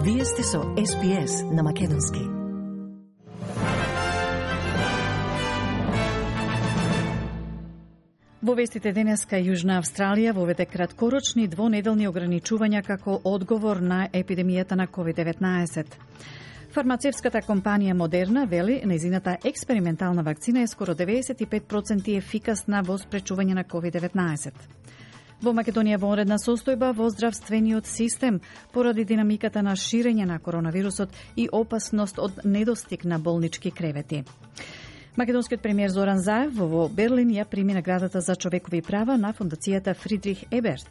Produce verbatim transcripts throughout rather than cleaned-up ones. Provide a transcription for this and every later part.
Вие сте со Ес Би Ес на македонски. Во вестите денеска Јужна Австралија воведе краткорочни двонеделни ограничувања како одговор на епидемијата на ковид деветнаесет. Фармацевската компанија Модерна вели нејзината експериментална вакцина е скоро деветдесет и пет проценти ефикасна во спречување на ковид деветнаесет. Во Македонија во онредна состојба во здравствениот систем поради динамиката на ширење на коронавирусот и опасност од недостиг на болнички кревети. Македонскиот премиер Зоран Заев во Берлин ја прими наградата за човекови права на фондацијата Фридрих Еберт.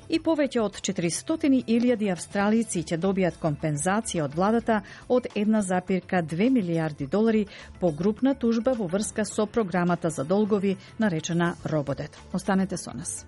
И повеќе од четиристотини илјади австралици ќе добијат компензација од владата од една зарез две милијарди долари по групна тужба во врска со програмата за долгови наречена Рободет. Останете со нас.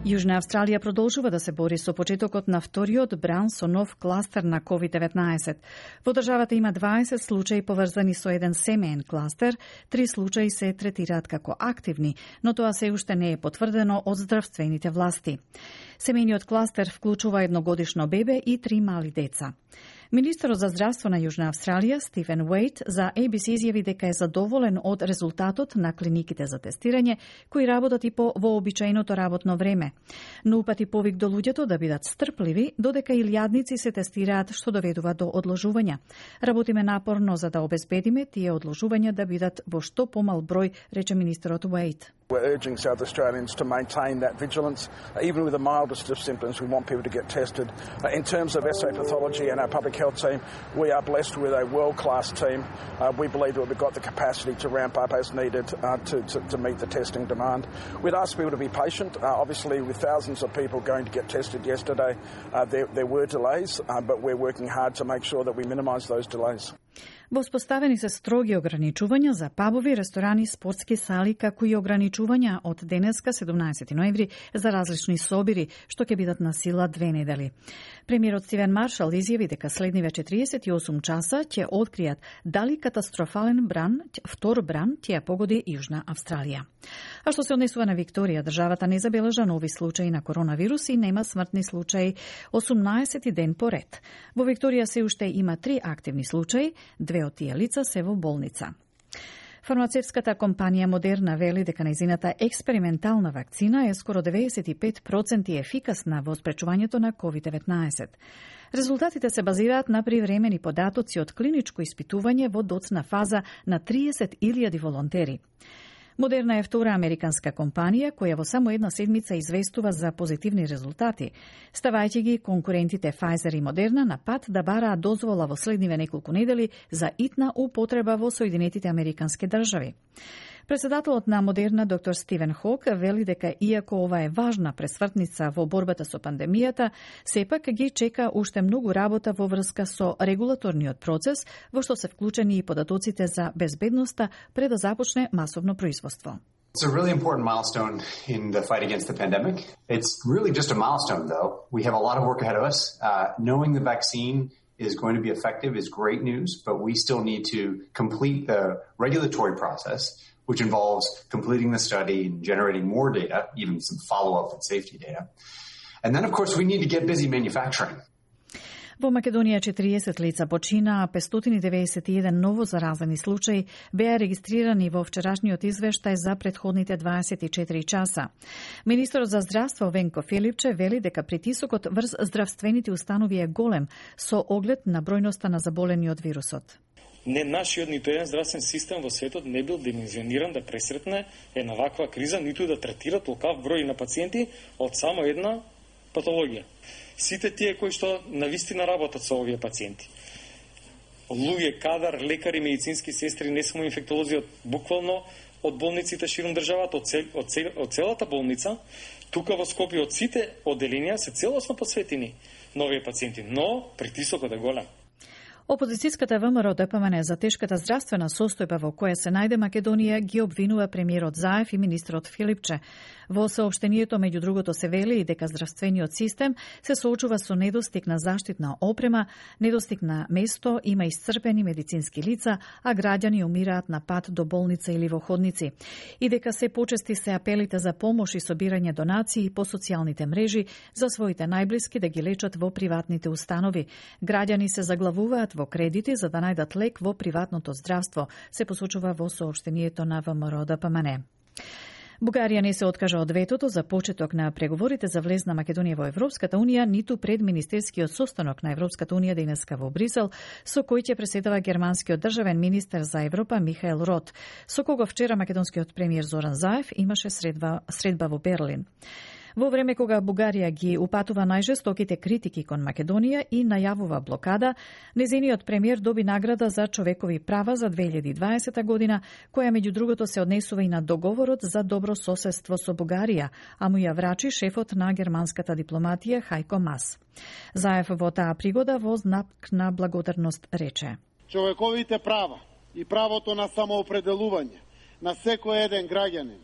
Јужна Австралија продолжува да се бори со почетокот на вториот бран со нов кластер на ковид деветнаесет. Во државата има дваесет случаи поврзани со еден семеен кластер, три случаи се третираат како активни, но тоа се уште не е потврдено од здравствените власти. Семејниот кластер вклучува едногодишно бебе и три мали деца. Министерот за здравство на Јужна Австралија, Стивен Уейт, за Ей Би Си изјави дека е задоволен од резултатот на клиниките за тестирање, кои работат и по вообичаеното работно време. Но упати повик до луѓето да бидат стрпливи, додека илјадници се тестираат, што доведува до одложувања. Работиме напорно за да обезбедиме тие одложувања да бидат во што помал број, рече министерот Уейт. We're urging South Australians to maintain that vigilance. Uh, even with the mildest of symptoms, we want people to get tested. Uh, in terms of S A Pathology and our public health team, we are blessed with a world-class team. Uh, we believe that we've got the capacity to ramp up as needed uh, to, to, to meet the testing demand. We'd ask people to be patient. Uh, obviously, with thousands of people going to get tested yesterday, uh, there, there were delays, uh, but we're working hard to make sure that we minimise those delays. Воспоставени се строги ограничувања за пабови, ресторани, спортски сали, како и ограничувања од денеска седумнаесети ноември за различни собири, што ќе бидат на сила две недели. Премиерот Стивен Маршал изјави дека следниве четириесет и осум часа ќе откријат дали катастрофален бран, втор бран, ќе ја погоди Јужна Австралија. А што се однесува на Викторија, државата не забележа нови случаи на коронавирус и нема смртни случаи осумнаесети ден поред. Во Викторија се уште има три активни случаи, две од тие лица се во болница. Фармацевската компанија Модерна вели дека нејзината експериментална вакцина е скоро деветдесет и пет проценти ефикасна во спречувањето на ковид деветнаесет. Резултатите се базираат на привремени податоци од клиничко испитување во доцна фаза на триесет илјади волонтери. Модерна е втора американска компанија која во само една седмица известува за позитивни резултати, ставајќи ги конкурентите Pfizer и Модерна на пат да бараат дозвола во следниве неколку недели за итна употреба во Соединетите Американски држави. Председателот на Модерна, доктор Стивен Хок, вели дека иако ова е важна пресвртница во борбата со пандемијата, сепак ги чека уште многу работа во врска со регулаторниот процес, во што се вклучени и податоците за безбедноста пред да започне масовно производство. It's a really important milestone in the fight against the pandemic. It's really just a milestone, though. We have a lot of work ahead of us. Uh, knowing the vaccine is going to be effective is great news, but we still need to complete the regulatory process, which involves completing the study and generating more data, even some follow-up and safety data. And then, of course, we need to get busy manufacturing. Во Македонија четириесет лица почина, а петстотини деветдесет и еден ново заразени случаи беа регистрирани во вчерашниот извештај за претходните дваесет и четири часа. Министерот за здравство Венко Филипче вели дека притисокот врз здравствените установи е голем со оглед на бројноста на заболени од вирусот. Не нашиот ниту еден здравствен систем во светот не бил димензиониран да пресретне една ваква криза, ниту да третира толкав број на пациенти од само една патологија. Сите тие кои што навистина работат со овие пациенти. Луѓе, кадар, лекари, медицински сестри, не само инфектолози, од буквално од болниците широм државата, од, цел, од, цел, од целата болница, тука во Скопје од сите одделенија се целосно посветени на овие пациенти, но притисокот е голем. Опозицијската ВМРО Д П М Н за тешката здравствена состојба во која се најде Македонија ги обвинува премиерот Заев и министрот Филипче. Во соопштението меѓу другото се вели и дека здравствениот систем се соочува со недостиг на заштитна опрема, недостиг на место, има исцрпени медицински лица, а граѓани умираат на пат до болница или во ходници. И дека се почести се апелите за помош и собирање донации по социјалните мрежи за своите најблиски да ги лечат во приватните установи. Граѓани се заглавуваат во кредити за да најдат лек во приватното здравство, се посочува во соопштението на ВМРО Д П М Н. Бугарија не се откажа од ветото за почеток на преговорите за влез на Македонија во Европската Унија, ниту пред министерскиот состанок на Европската Унија денеска во Брисел, со кој ќе преседава германскиот државен министер за Европа Михаел Рот, со кого вчера македонскиот премиер Зоран Заев имаше средба, средба во Берлин. Во време кога Бугарија ги упатува најжестоките критики кон Македонија и најавува блокада, незиниот премиер доби награда за човекови права за две илјади и дваесета година, која меѓу другото се однесува и на договорот за добро соседство со Бугарија, а му ја врачи шефот на германската дипломатија Хајко Мас. Заев во таа пригода во знак на благодарност рече: човековите права и правото на самоопределување на секој еден граѓанин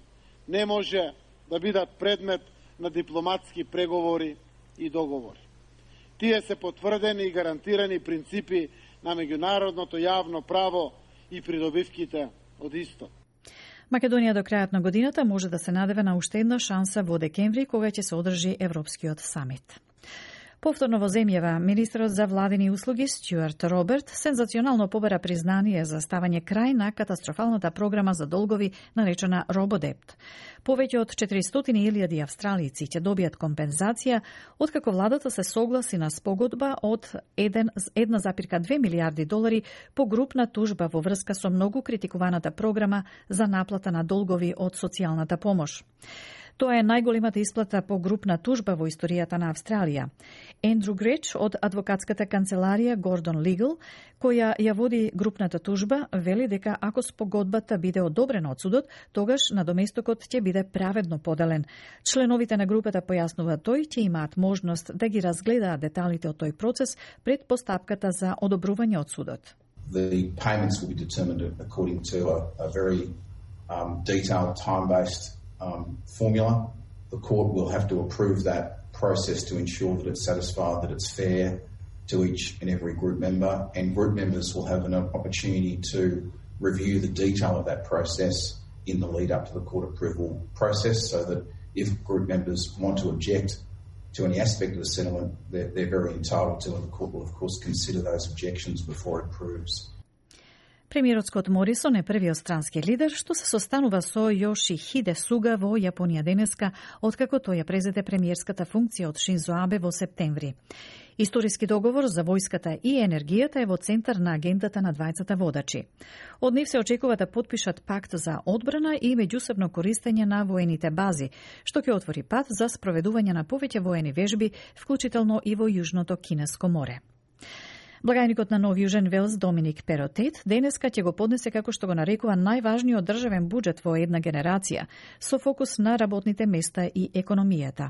не може да бидат предмет на дипломатски преговори и договори. Тие се потврдени и гарантирани принципи на меѓународното јавно право и придобивките од исто. Македонија до крајот на годината може да се надеве на уште една шанса во декември, кога ќе се одржи Европскиот самит. Повторно во земјава, министерот за владини услуги Стюарт Роберт сензационално побара признание за ставање крај на катастрофалната програма за долгови наречена Рободепт. Повеќе од четиристотини илјади австралици ќе добијат компензација, откако владата се согласи на спогодба од една запирка две милијарди долари по групна тужба во врска со многу критикуваната програма за наплата на долгови од социјалната помош. Тоа е најголемата исплата по групна тужба во историјата на Австралија. Ендрю Греч од адвокатската канцеларија Гордон Лигал, која ја води групната тужба, вели дека ако спогодбата биде одобрена од судот, тогаш надоместокот ќе биде праведно поделен. Членовите на групата, појаснува тој, ќе имаат можност да ги разгледаат деталите од тој процес пред постапката за одобрување од судот. The payments will be determined according to a, a very um, detailed, time-based Um, formula. The court will have to approve that process to ensure that it's satisfied, that it's fair to each and every group member, and group members will have an opportunity to review the detail of that process in the lead up to the court approval process, so that if group members want to object to any aspect of the settlement, they're, they're very entitled to, and the court will of course consider those objections before it approves. Премиерот Скот Морисон е првиот странски лидер што се состанува со Јошихиде Суга во Јапонија денеска, откако тој ја презеде премиерската функција од Шинзо Абе во септември. Историски договор за војската и енергијата е во центар на агендата на двајцата водачи. Од нив се очекува да потпишат пакт за одбрана и меѓусебно користење на воените бази, што ќе отвори пат за спроведување на повеќе воени вежби, вклучително и во Јужното Кинеско море. Благајникот на Нов Јужен Велс Доминик Перотет денеска ќе го поднесе како што го нарекува најважниот државен буџет во една генерација, со фокус на работните места и економијата.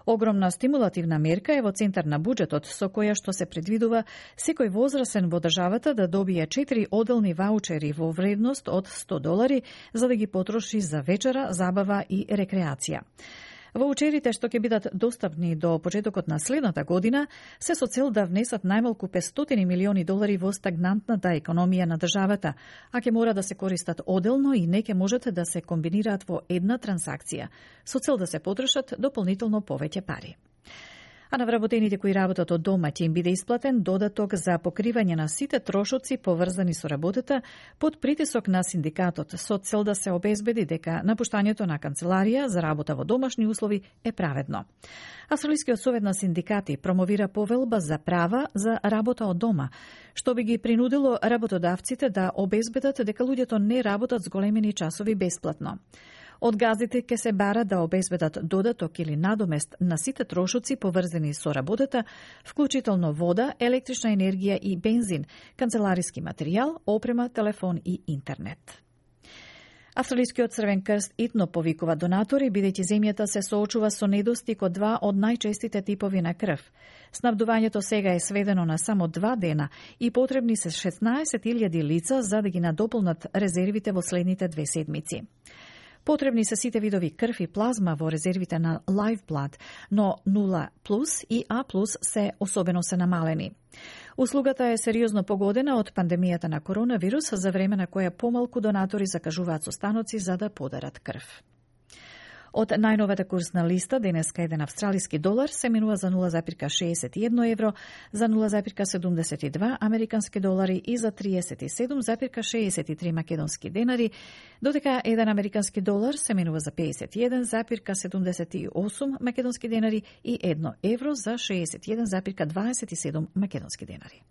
Огромна стимулативна мерка е во центар на буџетот, со која што се предвидува секој возрасен во државата да добие четири оделни ваучери во вредност од сто долари за да ги потроши за вечера, забава и рекреација. Ваучерите што ќе бидат достапни до почетокот на следната година се со цел да внесат најмалку петстотини милиони долари во стагнантната економија на државата, а ќе мора да се користат оделно и не ќе можат да се комбинираат во една трансакција, со цел да се потрошат дополнително повеќе пари. А на вработените кои работат од дома ќе им биде исплатен додаток за покривање на сите трошоци поврзани со работата под притисок на синдикатот, со цел да се обезбеди дека напуштањето на канцеларија за работа во домашни услови е праведно. Австралискиот совет на синдикати промовира повелба за права за работа од дома, што би ги принудило работодавците да обезбедат дека луѓето не работат зголемени часови бесплатно. Од газдите ќе се бара да обезбедат додаток или надомест на сите трошоци поврзани со работата, вклучително вода, електрична енергија и бензин, канцелариски материјал, опрема, телефон и интернет. Австралискиот Црвен крст итно повикува донатори, бидејќи земјата се соочува со недостиг од два од најчестите типови на крв. Снабдувањето сега е сведено на само два дена и потребни се шеснаесет илјади лица за да ги надополнат резервите во следните две седмици. Потребни се сите видови крв и плазма во резервите на Lifeblood, но нула плюс и А плюс се особено се намалени. Услугата е сериозно погодена од пандемијата на коронавирус, за време на која помалку донатори закажуваат состаноци за да подарат крв. Од најновата курсна листа, денеска еден австралиски долар се минува за нула запирка шеесет и едно евро, за нула запирка седумдесет и два американски долари и за триесет и седум запирка шеесет и три македонски денари, додека еден американски долар се минува за пеесет и еден запирка седумдесет и осум македонски денари и едно евро за шеесет и еден запирка дваесет и седум македонски денари.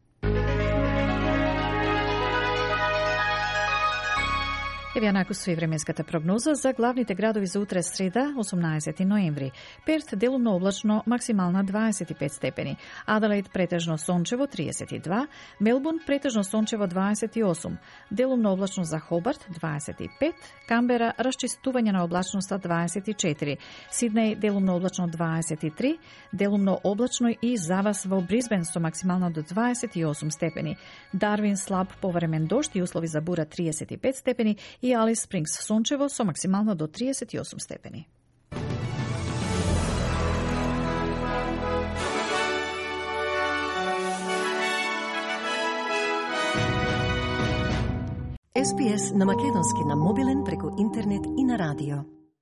Еве накусу и временската прогноза за главните градови за утре среда, осумнаесети ноември. Перт делумно облачно, максимална дваесет и пет степени. Аделаид претежно сончево триесет и два, Мелбурн претежно сончево дваесет и осум, делумно облачно за Хобарт дваесет и пет, Камбера расчистување на облачноста дваесет и четири, Сиднеј делумно облачно дваесет и три, делумно облачно и за вас во Брисбен со максимално до дваесет и осум степени, Дарвин слаб повремен дожд и услови за бура триесет и пет степени и Алис Спрингс сончево со максимално до триесет и осум степени. Ес Би Ес на македонски на мобилен преку интернет и на радио.